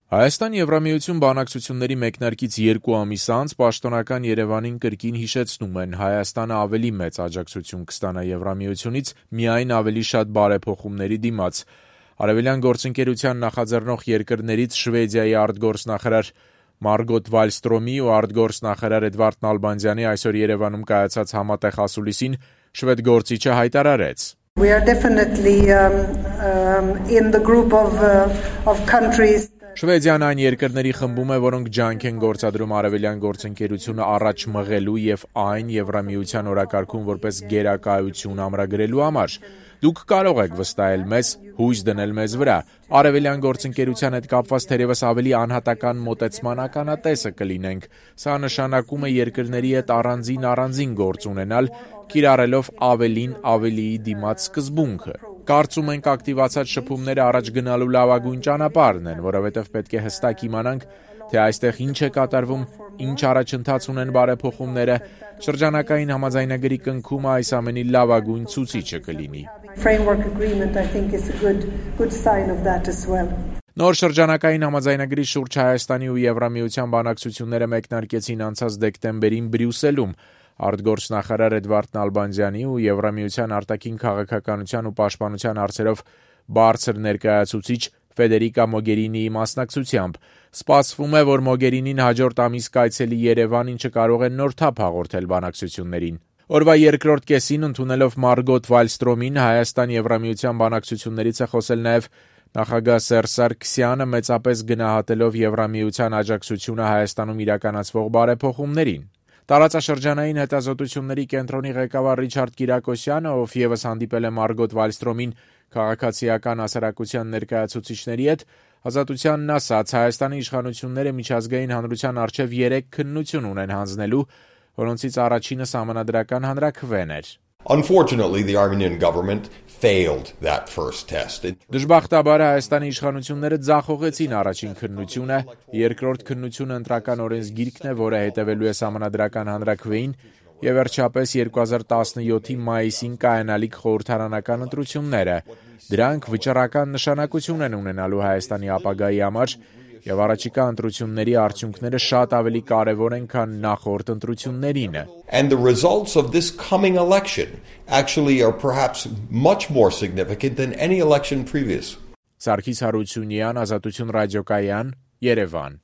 Հայաստան-Եվրամիություն բանակցությունների մեկնարկից 2 ամիս անց պաշտոնական Երևանին կրկին հիշեցնում են Հայաստանը ավելի մեծ աջակցություն կստանա Եվրամիությունից միայն ավելի շատ բարեփոխումների դիմաց։ Արևելյան գործընկերության նախաձեռնող երկրներից Շվեդիայի արտգործնախարար Մարգոտ Վալստրոմի ու արտգործնախարար Էդվարդ Նալբանդյանի այսօր Երևանում կայացած համատեղ ասուլիսին շվեդ գործիչը հայտարարեց. We are definitely in the group of countries. Շվեդիան այն երկրների խմբում է, որոնք ջանք են գործադրում արևելյան գործընկերությունը առաջ մղելու եւ այն Եվրամիության օրակարգում որպես գերակայություն ամրագրելու համար։ Դուք կարող եք վստահել մեզ, հույս դնել մեզ վրա։ Արևելյան գործընկերության հետ կապված թերևս ավելի անհատական մոտեցման ականատեսը կլինենք։ Սա նշանակում է երկրների հետ առանձին գործ ունենալ, կիրառելով ավելիի դիմաց սկզբունքը։ Կարծում ենք ակտիվացած շփումները առաջ գնալու լավագույն ճանապարհն են, որովհետև պետք է հստակ իմանանք, թե այստեղ ինչ է կատարվում, ինչ առաջընթաց ունեն բարեփոխումները, շրջանակային համաձայնագրի կնքումը այս ամենի լավագույն ցուցիչը կլինի։ Նոր շրջանակային համաձայնագրի շուրջ Հայաստանի ու Եվրամիության բանակցությունները մեկնարկեցին անցած դեկտեմբերին Բրյուսելում։ Արտգործնախարար Էդվարդ Նալբանդյանի ու Եվրամիության արտաքին քաղաքականության ու պաշտպանության հարցերով բարձր ներկայացուցիչ Ֆեդերիկա Մոգերինիի մասնակցությամբ։ Սպասվում է, որ Մոգերինին հաջորդ ամիս կայցելի Երևան, ինչը կարող է նոր թափ հաղորդել բանակցություններին։ Օրվա երկրորդ կեսին ընդունելով Մարգոտ Վալստրոմին Հայաստան-Եվրամիության բանակցություններից է խոսել նաև նախագահ Սերժ Սարգսյանը, մեծապես գնահատելով Եվրամիության աջակցությունը Հայաստանում իրականացվող բարեփոխումներին։ Տարածաշրջանային հետազոտությունների կենտրոնի ղեկավար Ռիչարդ Կիրակոսյանը, ով ևս հանդիպել է Մարգոտ Վալստրոմին քաղաքացիական հասարակության ներկայացուցիչների հետ, ազատությանն ասաց, Հայաստանի իշխանությունները միջազգային հանրության առջև 3 քննություն ունեն հանձնելու, որոնցից առաջինը սահմանադրական հանրաքվեն էր։ Unfortunately, the Armenian government failed that first test. Դժբախտաբար Հայաստանի իշխանությունները ձախողեցին առաջին քննությունը, երկրորդ քննությունը ընտրական օրենսգիրքն է, որը հետևելու է սահմանադրական հանրաքվեին, եւ վերջապես 2017-ի մայիսին կայանալիք խորհրդարանական ընտրությունները։ Դրանք վճռական նշանակություն են ունենալու Հայաստանի ապագայի համար, եւ առաջիկա ընտրությունների արդյունքները շատ ավելի կարեւոր են, քան նախորդ ընտրություններինը։ And the results of this coming election actually are perhaps much more significant than any election previous. Սարգիս Հարությունյան, Ազատություն ռադիոկայան, Երևան։